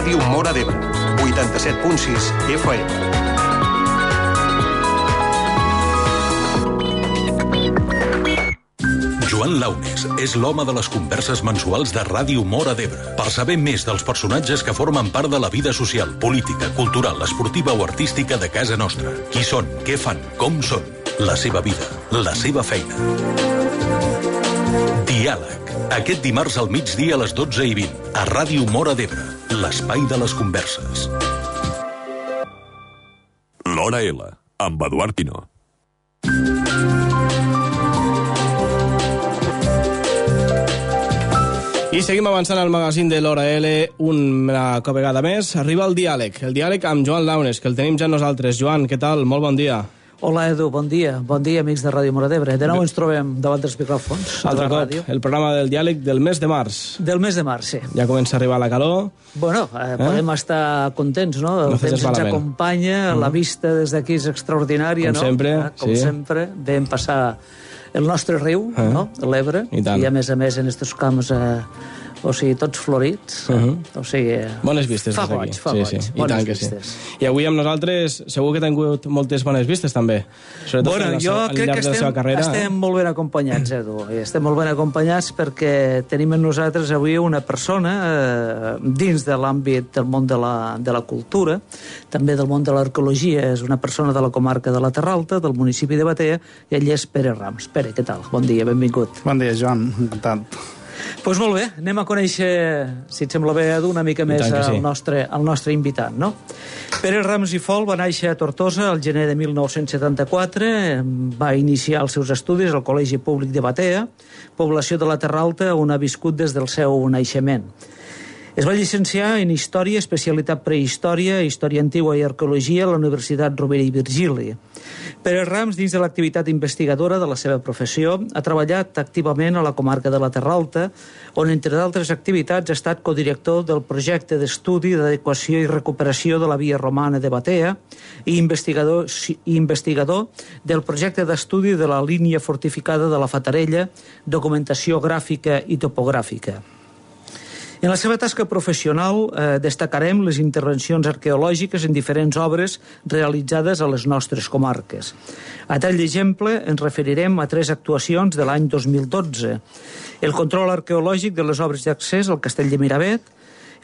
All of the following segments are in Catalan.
Ràdio Móra d'Ebre, 87.6 FM. Joan Launes és l'home de les converses mensuals de Ràdio Móra d'Ebre. Per saber més dels personatges que formen part de la vida social, política, cultural, esportiva o artística de casa nostra. Qui són, què fan, com són, la seva vida, la seva feina. Diàleg. Aquest dimarts al migdia a les 12:20 a Ràdio Móra d'Ebre, l'espai de les converses. L'Hora L, amb Eduard Quino. I seguim avançant al magazín de l'Hora L una vegada més. Arriba el diàleg amb Joan Launes, que el tenim ja nosaltres. Joan, què tal? Molt bon dia. Hola, Edu, bon dia, amics de Ràdio Móra d'Ebre. De nou ens trobem davant dels micròfons. Altre cop, el programa del diàleg del mes de març. Del mes de març, sí. Ja comença a arribar la calor. Bueno, podem estar contents, no? El temps ens acompanya, la vista des d'aquí és extraordinària, no? Com sempre, vam passar el nostre riu, no? L'Ebre, i a més en estos camps... o sigui, tots florits. O sigui... Bones vistes des d'aquí. Fa boig. I tant que sí. I avui amb nosaltres segur que t'han tingut moltes bones vistes, també. Bueno, jo crec que estem molt ben acompanyats, Edu. Estem molt ben acompanyats perquè tenim en nosaltres avui una persona dins de l'àmbit del món de la cultura, també del món de l'arqueologia. És una persona de la comarca de la Terra Alta, del municipi de Batea, i ell és Pere Rams. Pere, què tal? Bon dia, benvingut. Bon dia, Joan. Encantat. Doncs molt bé, anem a conèixer, si et sembla bé, Edu, una mica més el nostre invitat, no? Pere Rams i Fol va néixer a Tortosa el gener de 1974, va iniciar els seus estudis al Col·legi Públic de Batea, població de la Terra Alta on ha viscut des del seu naixement. Es va llicenciar en Història, especialitat Prehistòria, Història Antigua i Arqueologia a la Universitat Rovira i Virgili. Pere Rams, dins de l'activitat investigadora de la seva professió, ha treballat activament a la comarca de la Terra Alta, on, entre d'altres activitats, ha estat codirector del projecte d'estudi d'adequació i recuperació de la via romana de Batea i investigador del projecte d'estudi de la línia fortificada de la Fatarella, documentació gràfica i topogràfica. En la seva tasca professional destacarem les intervencions arqueològiques en diferents obres realitzades a les nostres comarques. A tall d'exemple, ens referirem a 3 actuacions de l'any 2012. El control arqueològic de les obres d'accés al Castell de Miravet,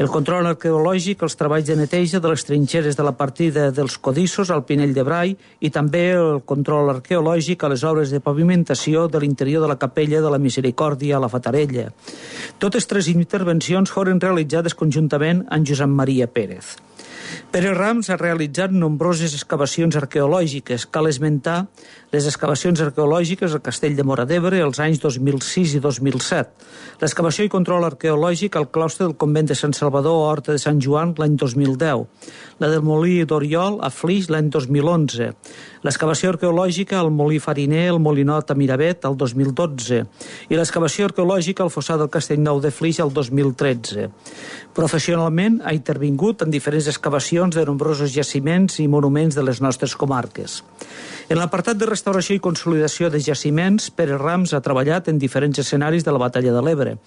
el control arqueològic als treballs de neteja de les trinxeres de la partida dels Codissos al Pinell de Brai i també el control arqueològic a les obres de pavimentació de l'interior de la capella de la Misericòrdia a la Fatarella. Totes 3 intervencions foren realitzades conjuntament amb Josep Maria Pérez. Pere Rams ha realitzat nombroses excavacions arqueològiques. Cal esmentar les excavacions arqueològiques al Castell de Móra d'Ebre els anys 2006 i 2007. L'excavació i control arqueològic al claustre del convent de Sant Salvador a Horta de Sant Joan l'any 2010. La del Molí d'Oriol a Flix l'any 2011. L'excavació arqueològica al Molí Fariner, al Molinot a Miravet el 2012. I l'excavació arqueològica al Fossar del Castellnou de Flix el 2013. Professionalment ha intervingut en diferents excavacions de nombrosos jaciments i monuments de les nostres comarques. En l'apartat de restauració i consolidació de jaciments, Pere Rams ha treballat en diferents escenaris de la Batalla de l'Ebre.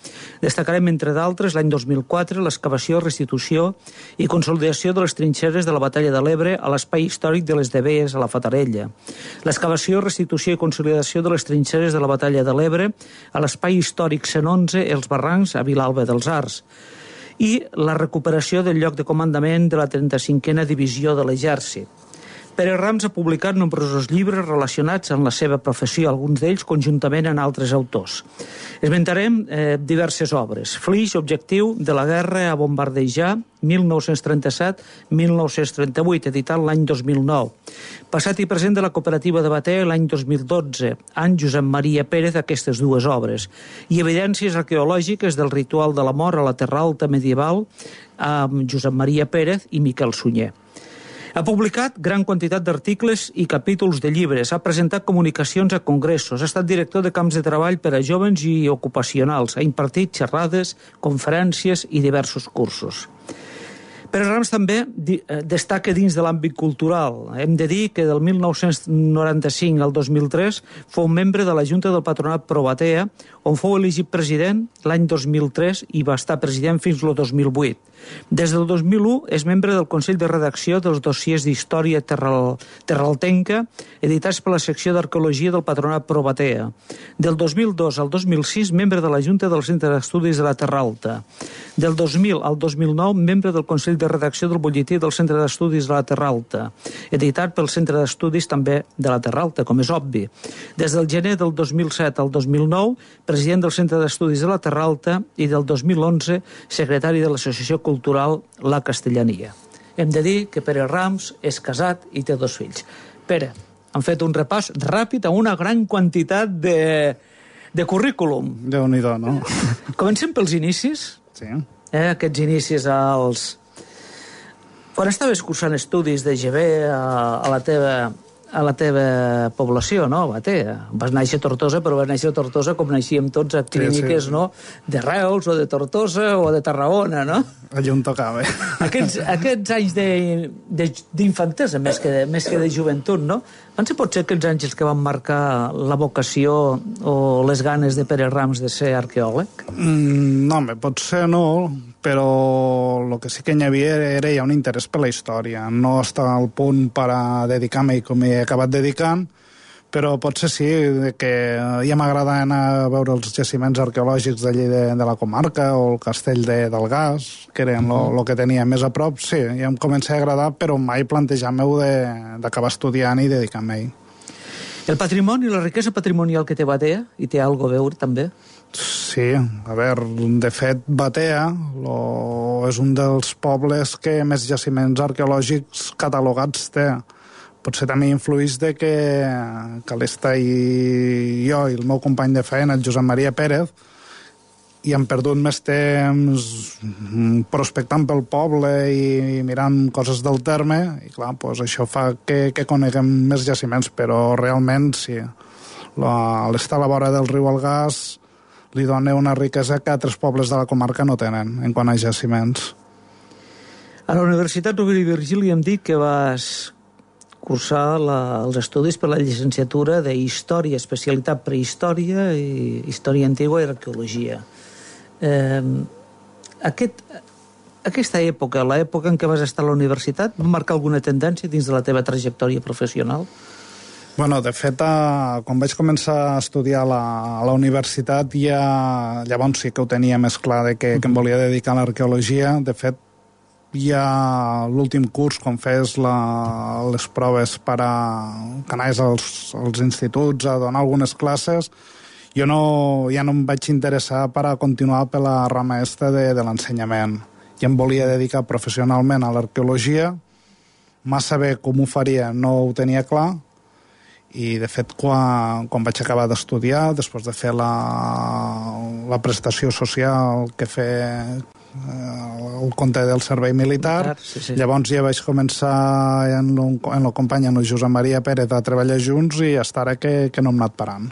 Destacarem, entre d'altres, l'any 2004, l'excavació, restitució i consolidació de les trinxeres de la Batalla de l'Ebre a l'espai històric de les Devees a la Fatarella. L'excavació, restitució i consolidació de les trinxeres de la Batalla de l'Ebre a l'espai històric 111, els Barrancs, a Vilalba dels Arcs. I la recuperació del lloc de comandament de la 35a Divisió de l'Exèrcit. Pere Rams ha publicat nombrosos llibres relacionats amb la seva professió, alguns d'ells conjuntament amb altres autors. Esmentarem diverses obres. Flix, objectiu de la guerra a bombardejar, 1937-1938, editat l'any 2009. Passat i present de la cooperativa de Batea l'any 2012, any Josep Maria Pérez, aquestes 2 obres. I evidències arqueològiques del ritual de la mort a la Terra Alta medieval amb Josep Maria Pérez i Miquel Sunyer. Ha publicat gran quantitat d'articles i capítols de llibres, ha presentat comunicacions a congressos, ha estat director de camps de treball per a jóvens i ocupacionals, ha impartit xerrades, conferències i diversos cursos. Pere Rams també destaca dins de l'àmbit cultural. Hem de dir que del 1995 al 2003 fou membre de la Junta del Patronat Pro Batea, on fou elegit president l'any 2003 i va estar president fins al 2008. Des del 2001 és membre del Consell de Redacció dels dossiers d'Història Terraltenca, editats per la secció d'Arqueologia del Patronat Pro Batea. Del 2002 al 2006, membre de la Junta del Centre d'Estudis de la Terra Alta. Del 2000 al 2009, membre del Consell de Redacció del Butlletí del Centre d'Estudis de la Terra Alta, editat pel Centre d'Estudis també de la Terra Alta, com és obvi. Des del gener del 2007 al 2009, president del Centre d'Estudis de la Terra Alta i del 2011, secretari de l'Associació Cultural La Castellania. Hem de dir que Pere Rams és casat i té 2 fills. Pere, han fet un repàs ràpid a una gran quantitat de currículum. Déu-n'hi-do, no? Comencem pels inicis. Sí. Aquests inicis als... Quan estaves cursant estudis de GB a la teva població, no? Batea. Vas néixer a Tortosa, però vas néixer a Tortosa com naixíem tots a clíniques, sí. No? De Reus o de Tortosa o de Tarragona, no? Allà on tocava. Aquests anys d'infantesa, més que de joventut, no? Van ser potser aquells anys els que van marcar la vocació o les ganes de Pere Rams de ser arqueòleg? No, potser no, però el que sí que hi havia era ja un interès per la història. No estava al punt per a dedicar-me com he acabat dedicant, però potser sí, que ja m'agrada anar a veure els jaciments arqueològics d'allí de la comarca o el castell del Gas, que eren el que tenia més a prop. Sí, ja em comença a agradar, però mai plantejar-me-ho d'acabar estudiant i dedicar-me-hi. El patrimoni, la riquesa patrimonial que té Batea, i té alguna a veure també? Sí, a veure, de fet, Batea és un dels pobles que més jaciments arqueològics catalogats té. Potser també influeix de que l'Esta i jo i el meu company de feina, el Josep Maria Pérez, i hem perdut més temps prospectant pel poble i mirant coses del terme, i clar, doncs això fa que coneguem més jaciments, però realment sí. L'estar a la vora del riu Algars li dona una riquesa que altres pobles de la comarca no tenen en quant a jaciments. A la Universitat Rovira i Virgili hem dit que vas cursar els estudis per la llicenciatura de Història, especialitat prehistòria i Història Antigua i Arqueologia. Aquesta època, l'època en què vas estar a la universitat, va marcar alguna tendència dins de la teva trajectòria professional? Bueno, de fet, quan vaig començar a estudiar a la universitat, llavors sí que ho tenia més clar de que em volia dedicar a l'arqueologia. De fet, ja l'últim curs, quan fes les proves per a que anaves als instituts a donar algunes classes, jo ja no em vaig interessar per a continuar per la rama de l'ensenyament. Ja em volia dedicar professionalment a l'arqueologia, massa bé com ho faria no ho tenia clar, i de fet quan vaig acabar d'estudiar, després de fer la prestació social que fer el compte del servei militar, sí. Llavors ja vaig començar en el company, en el Josep Maria Pérez, a treballar junts i hasta ara que no hem anat parant.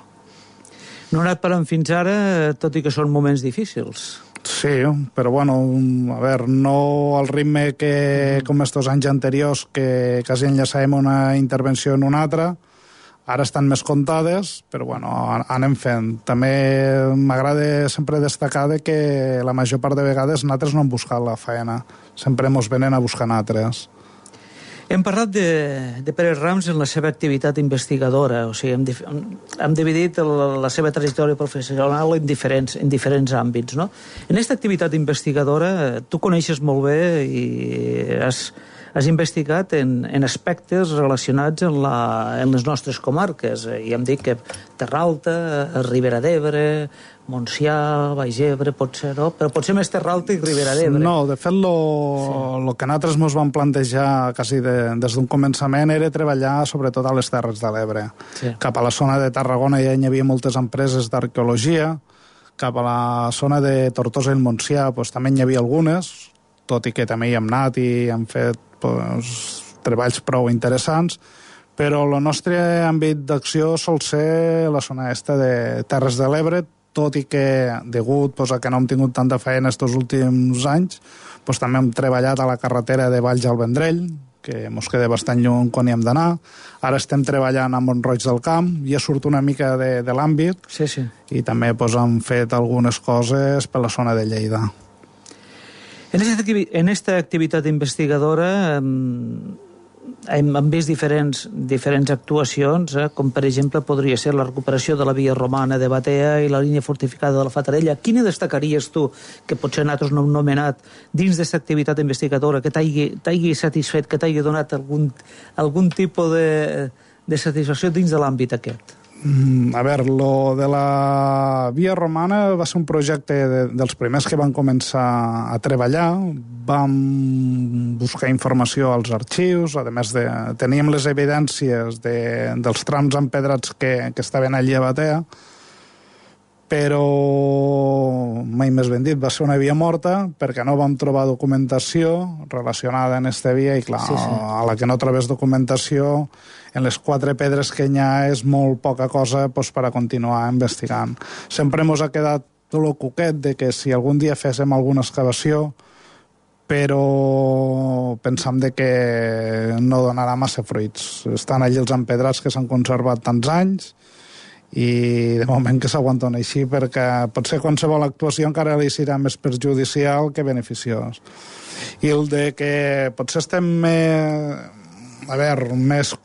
No hem anat parant fins ara, tot i que són moments difícils. Sí, però bueno, a veure, no al ritme que com estos anys anteriors, que quasi enllaçàvem una intervenció en una altra. Ara estan més comptades, però bueno, anem fent. També m'agrada sempre destacar que la major part de vegades nosaltres no hem buscat la feina. Sempre ens venen a buscar nosaltres. Hem parlat de Pere Rams en la seva activitat investigadora, o sigui, hem dividit la seva trajectòria professional en diferents àmbits, no? En aquesta activitat investigadora tu coneixes molt bé i has investigat en aspectes relacionats en les nostres comarques. I hem dit que Terra Alta, Ribera d'Ebre, Montsià, Baix Ebre, potser, no? Però potser més Terra Alta i Ribera d'Ebre. No, de fet, el que nosaltres ens vam plantejar quasi des d'un començament era treballar sobretot a les Terres de l'Ebre. Sí. Cap a la zona de Tarragona ja hi havia moltes empreses d'arqueologia, cap a la zona de Tortosa i el Montsià també hi havia algunes, tot i que també hi hem anat i hem fet treballs prou interessants, però el nostre àmbit d'acció sol ser la zona de Terres de l'Ebre, tot i que, degut a que no hem tingut tanta feina aquests últims anys, també hem treballat a la carretera de Valls al Vendrell, que ens queda bastant lluny quan hi hem d'anar. Ara estem treballant a Mont-roig del Camp, ja surt una mica de l'àmbit, i també hem fet algunes coses per la zona de Lleida. En esta activitat investigadora hem vist diferents actuacions, com per exemple podria ser la recuperació de la via romana de Batea i la línia fortificada de la Fatarella. Quina destacaries tu, que potser nosaltres no hem nomenat, dins d'aquesta activitat investigadora, que t'hagi satisfet, que t'hagi donat algun tipus de satisfacció dins de l'àmbit aquest? A veure, lo de la via romana va ser un projecte dels primers que van començar a treballar. Vam buscar informació als arxius, a més teníem les evidències dels trams empedrats que estaven allí a Batea, però mai més ben dit, va ser una via morta perquè no vam trobar documentació relacionada en aquesta via i clar, a la que no trobés documentació, en les 4 pedres que hi ha és molt poca cosa per a continuar investigant. Sempre ens ha quedat el coquet de que si algun dia féssim alguna excavació, però pensam de que no donarà massa fruits. Estan allí els empedrats que s'han conservat tants anys i de moment que s'aguanten així perquè potser qualsevol actuació encara li serà més perjudicial que beneficiós. I el de que potser estem més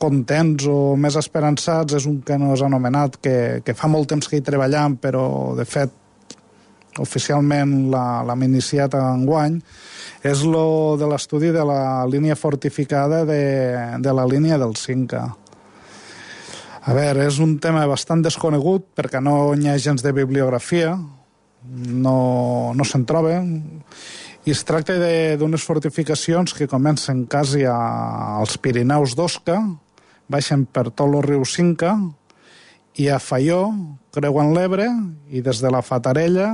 contents o més esperançats és un que no s'ha anomenat, que fa molt temps que hi treballem, però de fet oficialment l'hem iniciat enguany, és lo de l'estudi de la línia fortificada de la línia del Cinca. A veure, és un tema bastant desconegut perquè no hi ha gens de bibliografia, no se'n troba, i es tracta d'unes fortificacions que comencen quasi als Pirineus d'Osca, baixen per tot el riu Cinca, i a Faió creuen l'Ebre, i des de la Fatarella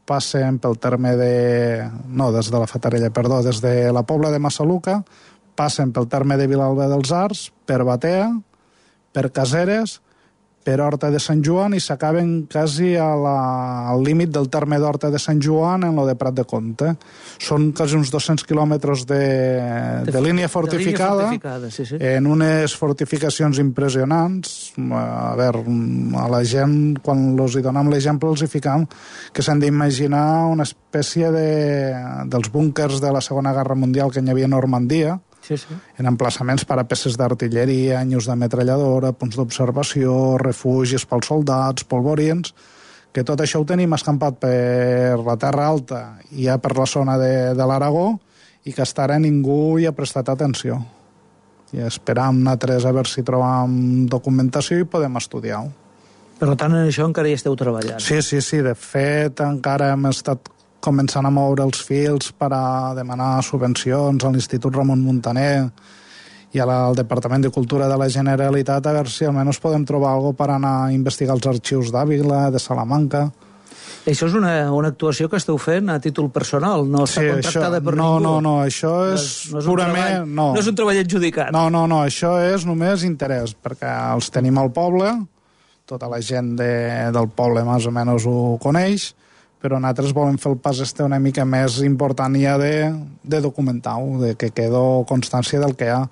passen pel terme des de la Pobla de Massaluca, passen pel terme de Vilalba dels Arcs, per Batea, per Caseres, per Horta de Sant Joan i s'acaben quasi al límit del terme d'Horta de Sant Joan en lo de Prat de Comte. Són quasi uns 200 quilòmetres de línia fortificada, en unes fortificacions impressionants. A veure, a la gent, quan els hi donem l'exemple, els hi ficam que s'han d'imaginar una espècie dels búnkers de la Segona Guerra Mundial que hi havia a Normandia, en emplaçaments per a peces d'artilleria, anyos de metralladora, punts d'observació, refugis pels soldats, polvorins, que tot això ho tenim escampat per la Terra Alta i ja per la zona de l'Aragó i que fins ara ningú hi ha prestat atenció. I esperam nosaltres a veure si trobam documentació i podem estudiar-ho. Per tant, en això encara hi esteu treballant. Sí, de fet encara hem estat començant a moure els fils per a demanar subvencions a l'Institut Ramon Muntaner i al Departament de Cultura de la Generalitat a veure si almenys podem trobar alguna cosa per anar a investigar els arxius d'Àvila, de Salamanca. Això és una actuació que esteu fent a títol personal, no està contractada per ningú. No, això és purament... No és un treball adjudicat. No, això és només interès, perquè els tenim al poble, tota la gent del poble més o menys ho coneix, però nosaltres volem fer el pas una mica més important ja de documentar-ho, de que quedo constància del que hi ha.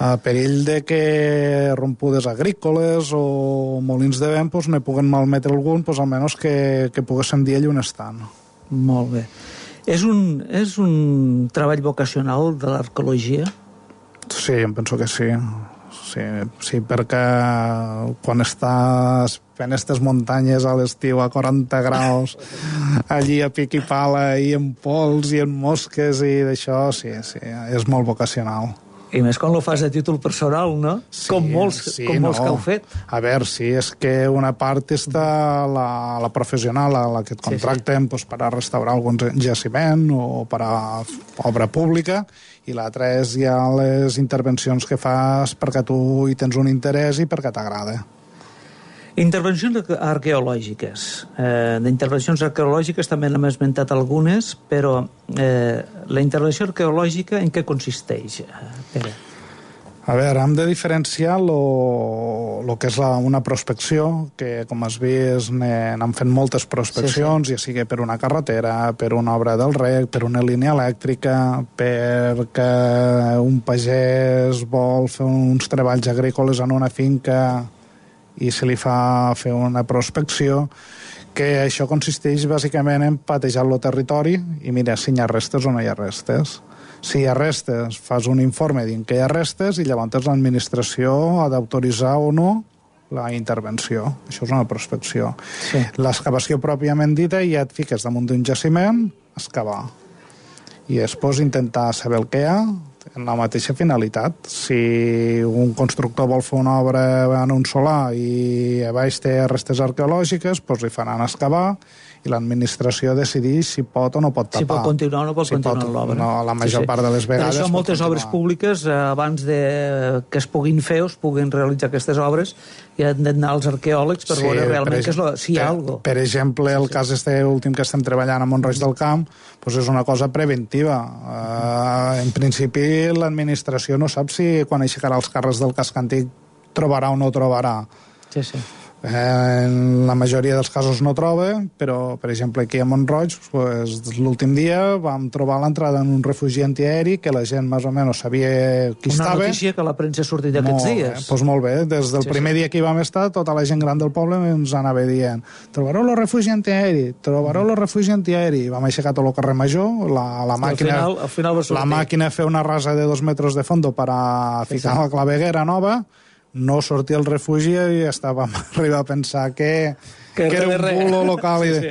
A perill de que rompudes agrícoles o molins de vent ne puguen malmetre algun, almenys que poguéssim dir allà on estan. Molt bé. És un treball vocacional de l'arqueologia? Sí, em penso que sí. Sí, perquè quan estàs fent aquestes muntanyes a l'estiu a 40 graus, allí a pic i pala i en pols i en mosques i d'això, sí, és molt vocacional. I més quan ho fas a títol personal, no? Sí, com molts que heu fet. A veure, sí, és que una part està la professional, a la que et contracten per a restaurar algun jaciment o per a obra pública, i l'altra és ja les intervencions que fas perquè tu hi tens un interès i perquè t'agrada. Intervencions arqueològiques. D'intervencions arqueològiques també n'hem esmentat algunes, però la intervenció arqueològica en què consisteix, Pere? A veure, hem de diferenciar el que és una prospecció, que com has vist n'han fet moltes prospeccions, ja sigui per una carretera, per una obra del reg, per una línia elèctrica, perquè un pagès vol fer uns treballs agrícoles en una finca i se li fa fer una prospecció, que això consisteix bàsicament en patejar el territori i mirar si hi ha restes o no hi ha restes. Si hi ha restes, fas un informe dient que hi ha restes i llavors l'administració ha d'autoritzar o no la intervenció. Això és una prospecció. Sí. L'excavació pròpiament dita, ja et fiques damunt d'un jaciment, excavar. I després intentar saber el que hi ha en la mateixa finalitat. Si un constructor vol fer una obra en un solar i a baix té restes arqueològiques, doncs li faran excavar i l'administració decideix si pot o no pot tapar. Si pot continuar o no pot continuar l'obra. No, la major part de les vegades... Per això moltes obres públiques, abans que es puguin fer o es puguin realitzar aquestes obres, hi han d'anar els arqueòlegs per veure realment si hi ha alguna cosa. Per exemple, el cas últim que estem treballant a Mont-roig del Camp doncs és una cosa preventiva. En principi, l'administració no sap si quan aixecarà els carrers del casc antic trobarà o no trobarà. Sí, sí. En la majoria dels casos no troba, però per exemple aquí a Mont-roig l'últim dia vam trobar l'entrada en un refugi antiaeri que la gent més o menys sabia qui estava. Una notícia que la premsa ha sortit aquests dies. Doncs molt bé, des del primer dia que hi vam estar tota la gent gran del poble ens anava dient trobareu el refugi antiaeri, trobareu el refugi antiaeri. Vam aixecar tot el carrer Major, la màquina al final va sortir. La màquina fer una rasa de 2 metres de fondo per a ficar la claveguera nova, no sortia el refugi i estàvem arribar a pensar que era un bulo local. Sí.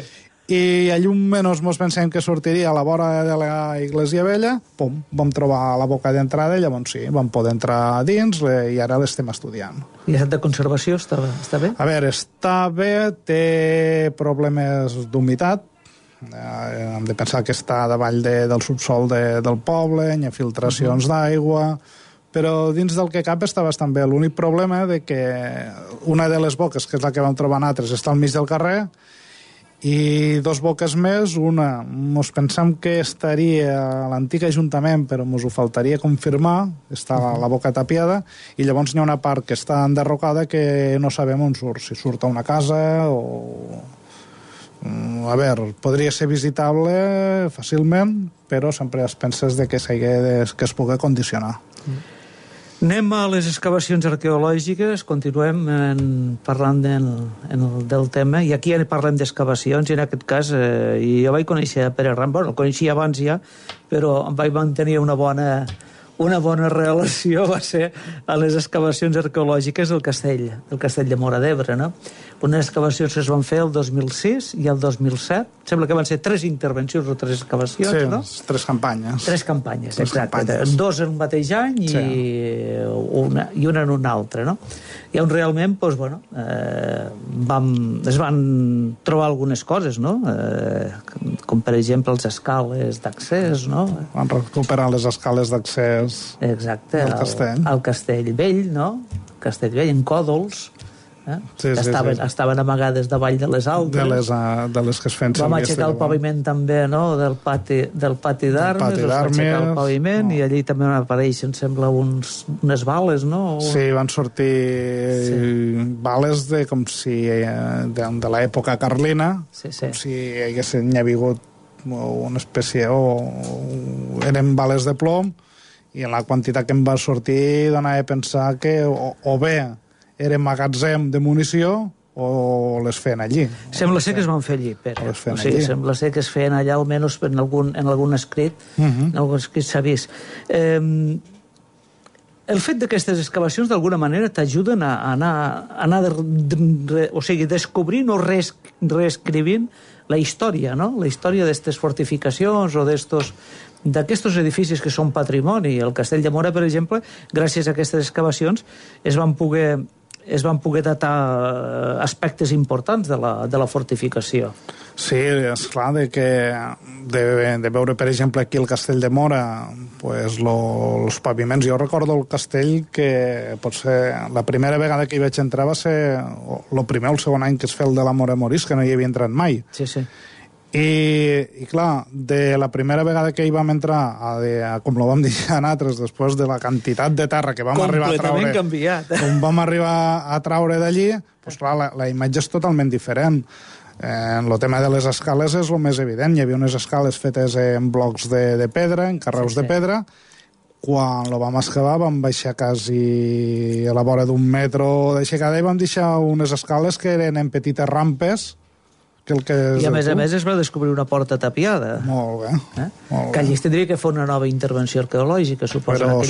I a llum menys mos pensem que sortiria a la vora de la Iglesia Vella, pum, vam trobar la boca d'entrada i llavors sí, vam poder entrar a dins i ara l'estem estudiant. I l'estat de conservació està bé? A veure, està bé, té problemes d'humitat, hem de pensar que està davall del subsol del poble, hi ha filtracions d'aigua, però dins del que cap està bastant bé. L'únic problema és que una de les boques, que és la que vam trobar nosaltres, està al mig del carrer, i 2 boques més, una mos pensam que estaria a l'antic Ajuntament, però mos ho faltaria confirmar, està la boca tapiada, i llavors hi ha una part que està enderrocada que no sabem on surt, si surt a una casa o... A veure, podria ser visitable fàcilment, però sempre es penses que es pugui condicionar. Anem a les excavacions arqueològiques, continuem parlant del tema, i aquí parlem d'excavacions, i en aquest cas jo vaig conèixer Pere Ram, el coneixia abans ja, però vaig mantenir una bona relació, va ser a les excavacions arqueològiques del castell de Móra d'Ebre, no? Unes excavacions que es van fer el 2006 i el 2007, sembla que van ser 3 intervencions o 3 excavacions, no? Sí, 3 campanyes. 3 campanyes, exacte. 2 en un mateix any i una en un altre, no? I on realment, doncs, bueno, es van trobar algunes coses, no? Com, per exemple, les escales d'accés, no? Van recuperar les escales d'accés al castell vell, no? Castell vell, en còdols, que estaven amagades davall de les altres. De les que es feien servir. Vam aixecar el paviment també, no?, del pati d'armes, es va aixecar el paviment, i allí també van aparèixer, em sembla, unes bales, no? Sí, van sortir bales de l'època carlina, com si hi hagués una espècie, eren bales de plom, i en la quantitat que em va sortir donava a pensar que o bé era magatzem de munició o les feien allí. Sembla ser que es van fer allí, Pere. Sembla ser que es feien allà, almenys en algun escrit, en algun escrit s'ha vist. El fet d'aquestes excavacions, d'alguna manera, t'ajuden a anar descobrint o reescrivint la història, no? La història d'aquestes fortificacions o d'aquests edificis que són patrimoni. El Castell de Móra, per exemple, gràcies a aquestes excavacions, es van poder datar aspectes importants de la fortificació. Sí, és clar de veure, per exemple, aquí el Castell de Móra, els paviments. Jo recordo el castell que potser la primera vegada que hi vaig entrar va ser el primer o el segon any que es feia el de la Móra Morisca, que no hi havia entrat mai. Sí, sí. I clar, de la primera vegada que hi vam entrar, com lo vam dir a nosaltres, després de la quantitat de terra que vam arribar a traure... Completament canviat. Com vam arribar a traure d'allí, doncs clar, la imatge és totalment diferent. En el tema de les escales és el més evident. Hi havia unes escales fetes en blocs de pedra, en carreus de pedra. Quan lo vam excavar vam baixar quasi a la vora d'un metro d'aixecada i vam deixar unes escales que eren en petites rampes. I a més es va descobrir una porta tapiada. Molt bé. Molt que allí es tindria que fer una nova intervenció arqueològica, suposo. Però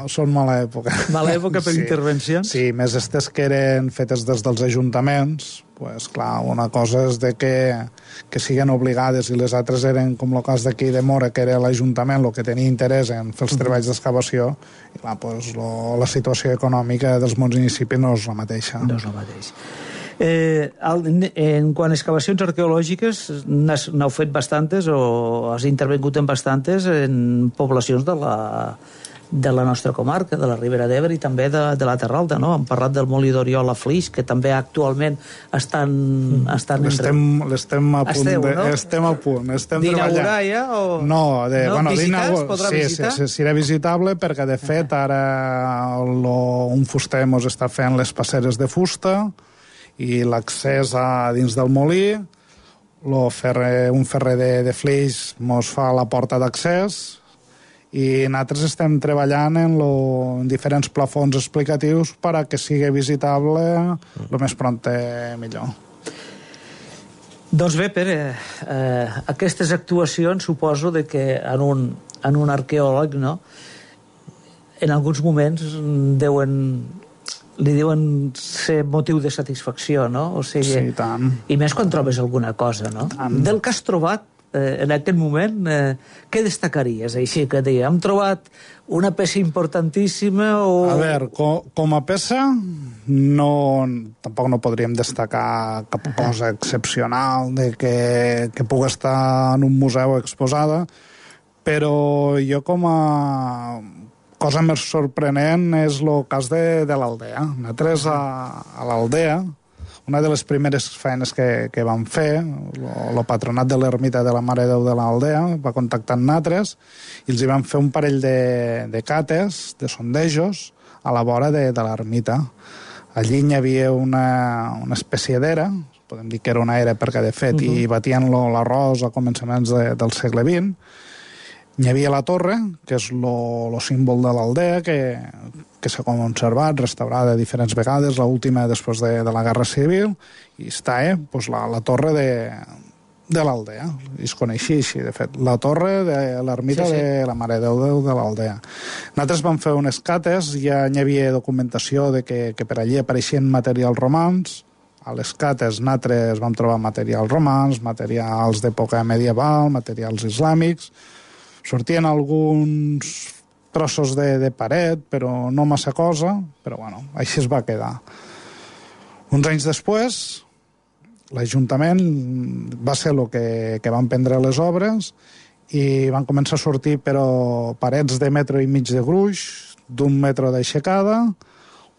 són mala època. Mala època per intervencions? Sí, més estes que eren fetes des dels ajuntaments, pues clar, una cosa és de que siguen obligades i les altres eren, com el cas d'aquí de Mora, que era l'Ajuntament el que tenia interès en fer els treballs d'excavació, i clar, pues, la situació econòmica dels municipis no és la mateixa. No és la mateixa. En quant a excavacions arqueològiques, n'heu fet bastantes o has intervingut en bastantes en poblacions de la nostra comarca, de la Ribera d'Ebre i també de la Terra Alta, no? Hem parlat del Molí d'Oriol a Flix, que també actualment estan l'estem a punt. Estem a punt. D'inaugurar ja? No, visitar, es podrà visitar? Sí, serà visitable perquè, de fet, ara un fuster mos està fent les passeres de fusta i l'accés a dins del molí, un ferrer de Flix mos fa la porta d'accés i nosaltres estem treballant en diferents plafons explicatius per a que sigui visitable el més pront millor. Doncs bé, Pere, aquestes actuacions suposo que en un arqueòleg, no, en alguns moments li diuen ser motiu de satisfacció, no? O sigui, sí, tant. I més quan trobes alguna cosa, no? Tant. Del que has trobat en aquest moment, què destacaries? Així que deia, hem trobat una peça importantíssima o... A veure, com a peça tampoc no podríem destacar cap cosa excepcional de que pugui estar en un museu exposada, però jo com a cosa més sorprenent és el cas de l'Aldea. Nosaltres a l'Aldea, una de les primeres feines que vam fer, el patronat de l'ermita de la Mare de Déu de l'Aldea va contactar amb nosaltres i els hi vam fer un parell de cates, de sondejos, a la vora de l'ermita. Allí hi havia una espècie d'era, podem dir que era una era perquè, de fet, hi batien l'arròs a començaments del segle XX. Hi havia la torre, que és el símbol de l'Aldea, que s'ha conservat, restaurada diferents vegades, l'última després de la Guerra Civil, i està la torre de l'Aldea. I es coneixia així, de fet. La torre de l'ermita de la Mare de Déu de l'Aldea. Nosaltres vam fer unes cates, ja hi havia documentació de que per allí apareixien materials romans. A les cates nosaltres vam trobar materials romans, materials d'època medieval, materials islàmics. Sortien alguns trossos de paret, però no massa cosa, però bueno, així es va quedar. Uns anys després, l'Ajuntament va ser el que van prendre les obres i van començar a sortir però parets de metro i mig de gruix, d'un metro d'aixecada,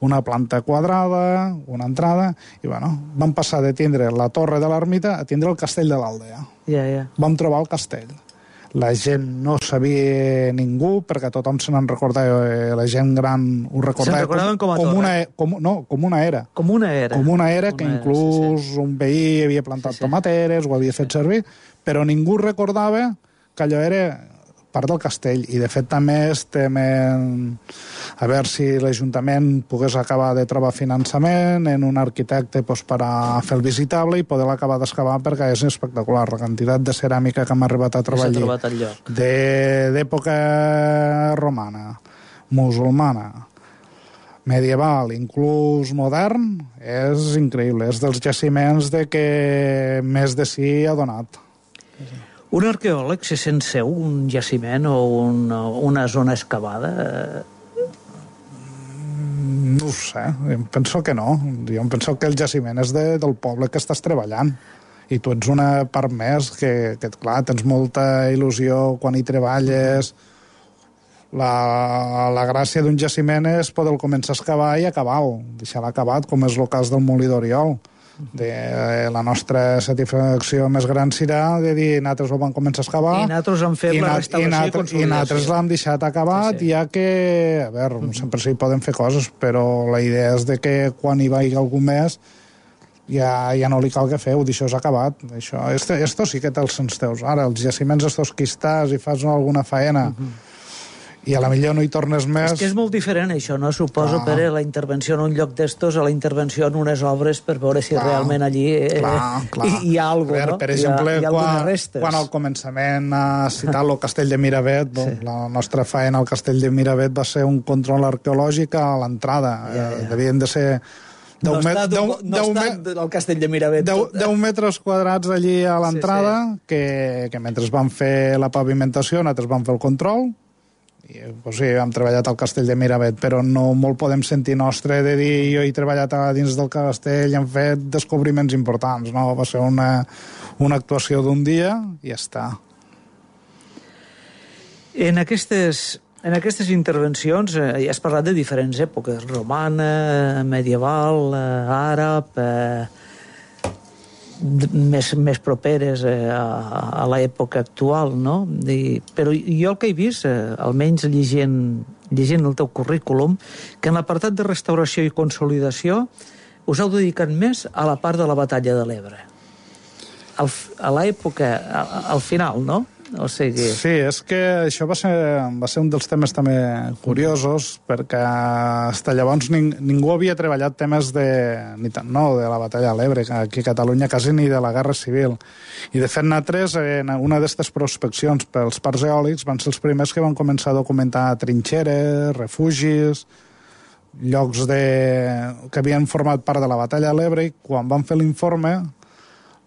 una planta quadrada, una entrada, i bueno, vam passar de tindre la torre de l'ermita a tindre el castell de l'Aldea. Vam trobar el castell. La gent no sabia ningú, perquè tothom se n'en recordava, la gent gran ho recordava com una era. Com una era. Com una era que inclús un veí havia plantat tomateres, ho havia fet servir, però ningú recordava que allò era part del castell. I de fet també estem a veure si l'Ajuntament pogués acabar de trobar finançament en un arquitecte per a fer el visitable i poder acabar d'excavar, perquè és espectacular la quantitat de ceràmica que hem arribat a trobar allí. D'època romana, musulmana, medieval, inclús modern, és increïble. És dels jaciments que més de si ha donat. Un arqueòleg se sent seu un jaciment o una zona excavada? No ho sé, em penso que no. Jo em penso que el jaciment és del poble que estàs treballant. I tu ets una part més que clar, tens molta il·lusió quan hi treballes. La gràcia d'un jaciment és poder començar a excavar i acabar-ho, deixar-lo acabat, com és el cas del Molí d'Oriol. La nostra satisfacció més gran serà de dir nosaltres ho vam començar a excavar i nosaltres hem fet la restauració i consolidació. I nosaltres l'hem deixat acabat, ja que, a veure, sempre s'hi poden fer coses, però la idea és de que quan hi vagi algú més ja no li cal que feu, això s'ha acabat. Esto sí que té els sens teus. Ara, els jaciments estos que estàs i fas alguna faena i a la millor no hi tornes més... És que és molt diferent, això, no? Suposo, Pere, la intervenció en un lloc d'estos a la intervenció en unes obres per veure si realment allí hi ha alguna cosa, no? Per exemple, hi ha algunes restes. Quan al començament ha citat el castell de Miravet, la nostra faena al castell de Miravet va ser un control arqueològic a l'entrada. Devien de ser... No està el castell de Miravet. 10 metres quadrats allí a l'entrada, que mentre van fer la pavimentació, nosaltres vam fer el control, i hem treballat al castell de Miravet, però no molt podem sentir nostre de dir jo he treballat a dins del castell i hem fet descobriments importants, no? Va ser una actuació d'un dia i ja està. En aquestes intervencions has parlat de diferents èpoques, romana, medieval, àrab, més properes a l'època actual, no? Però jo el que he vist, almenys llegint el teu currículum, que en l'apartat de restauració i consolidació us heu dedicat més a la part de la batalla de l'Ebre. A l'època, al final, no? O sigui... Sí, és que això va ser un dels temes també curiosos, perquè fins llavors ningú havia treballat temes de la batalla de l'Ebre, aquí a Catalunya quasi ni de la Guerra Civil. I de fet nosaltres, en una d'aquestes prospeccions pels parcs eòlics, van ser els primers que van començar a documentar trinxeres, refugis, llocs que havien format part de la batalla de l'Ebre, i quan van fer l'informe,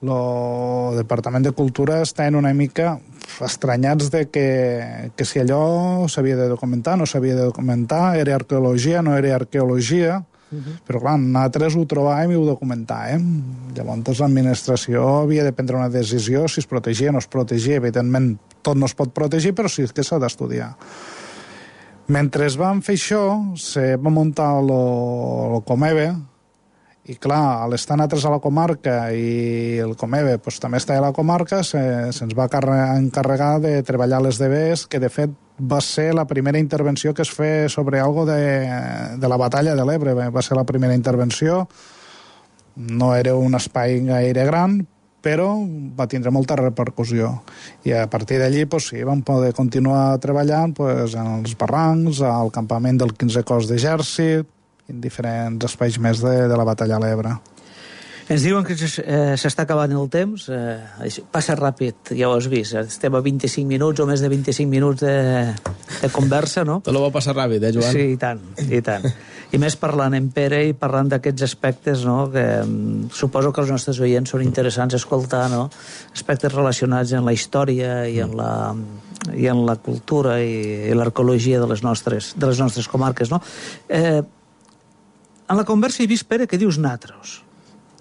el Departament de Cultura estaven una mica estranyats de que si allò s'havia de documentar, no s'havia de documentar, era arqueologia, no era arqueologia, però clar, nosaltres ho trobàvem i ho documentàvem. Llavors l'administració havia de prendre una decisió si es protegia o no es protegia. Evidentment, tot no es pot protegir, però sí que s'ha d'estudiar. Mentre es van fer això, se va muntar el Comebe, i clar, a l'estar nosaltres a la comarca i el Comebe també està a la comarca, se'ns va encarregar de treballar les DBs, que de fet va ser la primera intervenció que es feia sobre algo de la batalla de l'Ebre. Va ser la primera intervenció, no era un espai gaire gran, però va tindre molta repercussió. I a partir d'allí vam poder continuar treballant en els barrancs, al campament del 15è Cos d'Exèrcit, en diferents espais més de la batalla a l'Ebre. Ens diuen que s'està acabant el temps. Passa ràpid, ja ho has vist. Estem a 25 minuts o més de 25 minuts de conversa, no? Te lo va passar ràpid, Joan? Sí, i tant, i tant. I més parlant en Pere i parlant d'aquests aspectes, no?, que suposo que els nostres oients són interessants escoltar, no?, aspectes relacionats amb la història i amb la cultura i l'arqueologia de les nostres comarques, no? En la conversa he vist, Pere, que dius natros.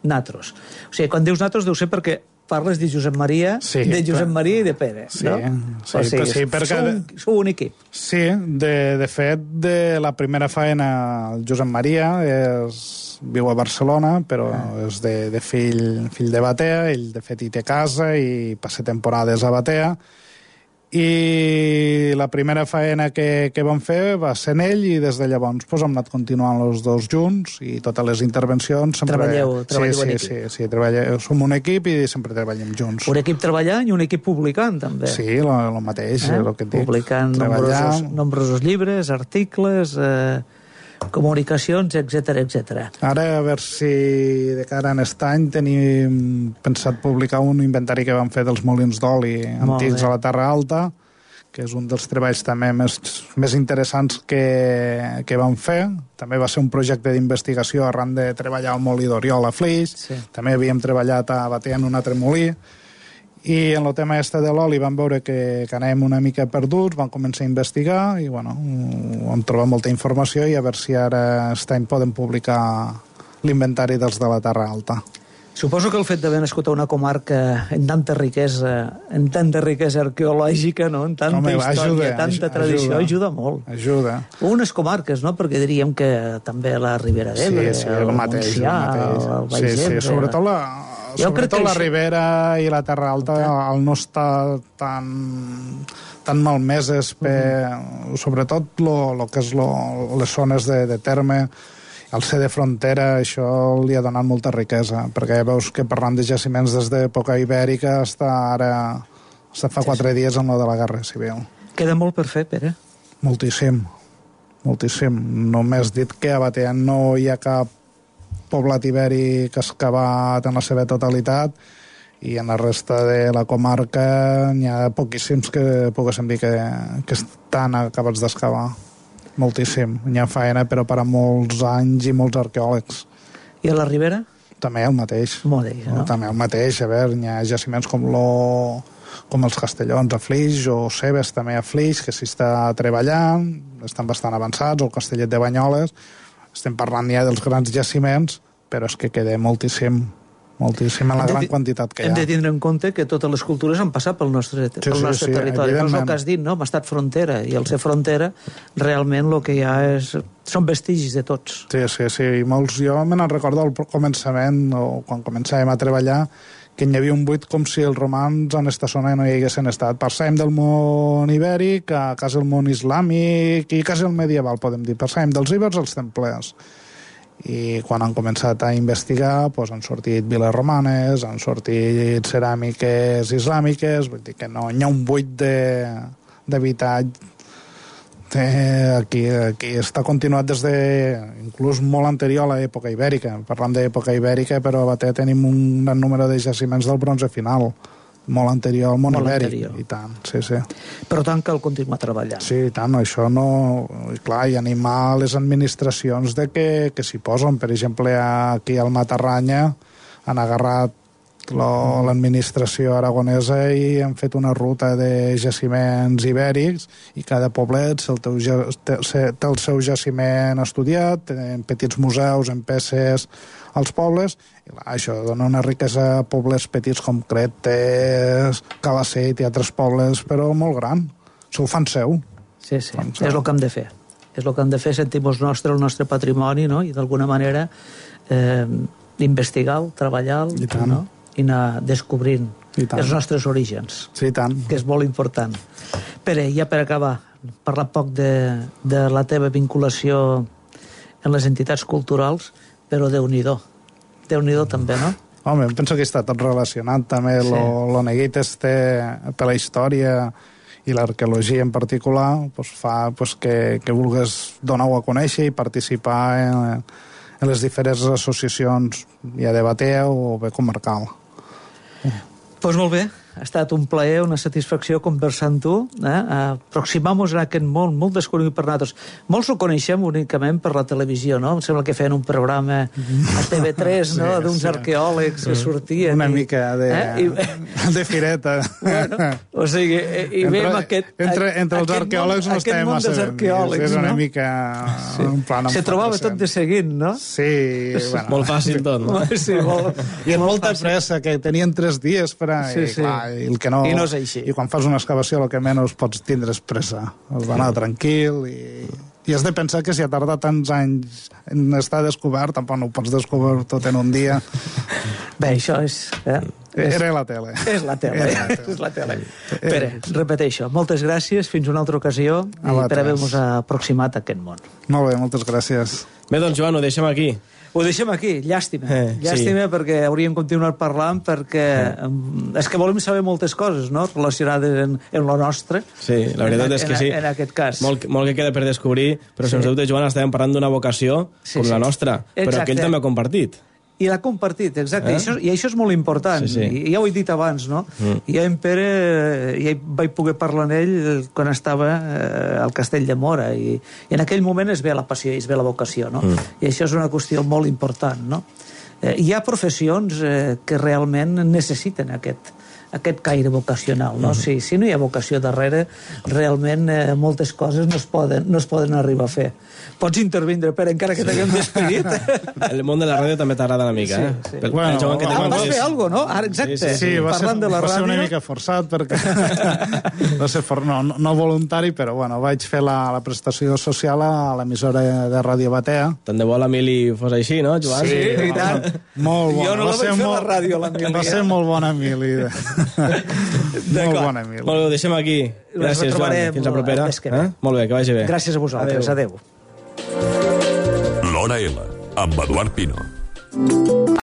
O sigui, quan dius natros deu ser perquè parles de Josep Maria, i de Pere, no? Sí, perquè... Sou un equip. Sí, de fet, de la primera faena, el Josep Maria viu a Barcelona, però és de fill de Batea, ell de fet hi té casa i passa temporades a Batea, i la primera faena que vam fer va ser en ell, i des de llavors hem anat continuant els dos junts, i totes les intervencions sempre... Treballeu en equip. Sí, som un equip i sempre treballem junts. Un equip treballant i un equip publicant, també. Sí, el mateix, el que et dic. Publicant nombrosos llibres, articles... comunicacions, etc. Ara, a veure si de cara a aquest any tenim pensat publicar un inventari que vam fer dels molins d'oli antics a la Terra Alta, que és un dels treballs també més interessants que vam fer. També va ser un projecte d'investigació arran de treballar al molí d'Oriol a Flix. També havíem treballat a Batea en un altre molí. I en el tema de l'oli vam veure que anàvem una mica perduts, vam començar a investigar i vam trobar molta informació, i a veure si ara aquest any podem publicar l'inventari dels de la Terra Alta. Suposo que el fet d'haver nascut a una comarca en tanta riquesa arqueològica, no? En tanta història, tanta tradició, ajuda molt. Ajuda. Unes comarques, no? Perquè diríem que també la Ribera d'Ebre, el Montsià, el Baix Ebre... Sobretot la Ribera i la Terra Alta, al no estar tan malmeses, sobretot el que és les zones de terme, al ser de frontera, això li ha donat molta riquesa, perquè veus que parlant de jaciments des d'època ibèrica fins fa 4 dies amb de la Guerra Civil. Queda molt per fer, Pere? Moltíssim. Només dit que a Batea no hi ha cap poblat ibèric excavat en la seva totalitat i en la resta de la comarca n'hi ha poquíssims que poguéssim dir que estan acabats d'excavar. Moltíssim. N'hi ha feina, però per a molts anys i molts arqueòlegs. I a la Ribera? També el mateix. No? També el mateix. A veure, n'hi ha jaciments com els Castellons a Flix o Cebes també a Flix, que s'hi està treballant, estan bastant avançats, o el Castellet de Banyoles. Estem parlant ja dels grans jaciments, però és que queda moltíssim en la gran quantitat que hi ha. Hem de tindre en compte que totes les cultures han passat pel nostre territori. És el que has dit, no? Hem estat frontera, i al ser frontera realment el que hi ha són vestigis de tots. Sí. Jo me'n recordo al començament, o quan començàvem a treballar, que hi havia un buit com si els romans en aquesta zona no hi haguessin estat. Passàvem del món ibèric a quasi el món islàmic i quasi el medieval, podem dir. Passàvem dels ibers als templers. I quan han començat a investigar han sortit viles romanes, han sortit ceràmiques islàmiques, vull dir que no hi ha un buit d'habitatge aquí està continuat des de inclús molt anterior a l'època ibèrica. Parlant d'època ibèrica, però a Batea tenim un gran número de jaciments del bronze final, molt anterior al món ibèric. I tant, sí. Per tant, cal continuar treballant. Sí, i tant, això no... I clar, i animar les administracions de que s'hi posen. Per exemple, aquí al Matarranya han agarrat l'administració aragonesa i han fet una ruta de jaciments ibèrics i cada poblet té el seu jaciment estudiat, en petits museus, en peces als pobles, i això dona una riquesa a pobles petits com Cretes, Calaceit i altres pobles, però molt gran. S'ho fan seu. Sí, és el que hem de fer. És el que hem de fer, sentim-nos el nostre patrimoni, no? I d'alguna manera investigar-lo, treballar-lo, no? I anar descobrint els nostres orígens, sí, tant. Que és molt important. Pere, ja per acabar, parlar poc de la teva vinculació en les entitats culturals, però Déu-n'hi-do. Déu-n'hi-do també, no? Home, penso que està tot relacionat també. Lo neguit per la història i l'arqueologia en particular fa que vulgues donar-ho a conèixer i participar en les diferents associacions, ja de Batea o bé comarcal. Doncs molt bé, ha estat un plaer, una satisfacció conversar amb tu, aproximar-nos a aquest món molt desconegut per nosaltres. Molts ho coneixem únicament per la televisió, no? Em sembla que feien un programa a TV3, no? D'uns arqueòlegs que sortien. Una mica de fireta. Bueno, o sigui, i veiem entre els arqueòlegs no estem massa bé. És una mica un plan... Se trobava tot de seguint, no? Sí. Molt fàcil tot, no? Sí, molt. I amb molta pressa, que tenien 3 dies per a... I no és així. I quan fas una excavació el que menys pots tindre és pressa. Has d'anar tranquil i has de pensar que si ha tardat tants anys en estar descobert, tampoc no ho pots descobrir tot en un dia. Bé, això és... Era la tele. És la tele. Pere, repeteixo, moltes gràcies, fins una altra ocasió i per haver-nos aproximat a aquest món. Molt bé, moltes gràcies. Bé, doncs Joan, ho deixem aquí. Ho deixem aquí, llàstima. Llàstima perquè hauríem continuat parlant perquè és que volem saber moltes coses, no?, relacionades en lo nostre. Sí, la veritat és que sí. En aquest cas. Molt que queda per descobrir, però sens dubte, Joan, estàvem parlant d'una vocació com la nostra, però que ell també ha compartit. I l'ha compartit, exacte. I això és molt important. I ja ho he dit abans, no? I en Pere, ja vaig poder parlar amb ell quan estava al Castell de Móra, i en aquell moment es ve la passió i es ve la vocació, no? I això és una qüestió molt important, no? Hi ha professions que realment necessiten aquest aquest caire vocacional, no? Si no hi ha vocació darrere, realment moltes coses no es poden arribar a fer. Pots intervindre, Pere, encara que t'haguem despedit. El món de la ràdio també t'agrada una mica, eh? Sí. Bueno, vas fer alguna cosa, no? Ara, exacte. Sí, va ser una mica forçat, perquè va ser no voluntari, però bueno, vaig fer la prestació social a l'emissora de Ràdio Batea. Tant de bo l'Emili fos així, no, Joan? Sí, i tant. Molt bona. Jo no la vaig fer a la ràdio, l'Emili. Va ser molt bona, Emili. Molt bona, Emili. Molt bé, ho deixem aquí. Gràcies, Joan. Fins la propera. Molt bé, que vagi bé. Gràcies a vosaltres. Adéu. L'Hora L, amb Eduard Pino.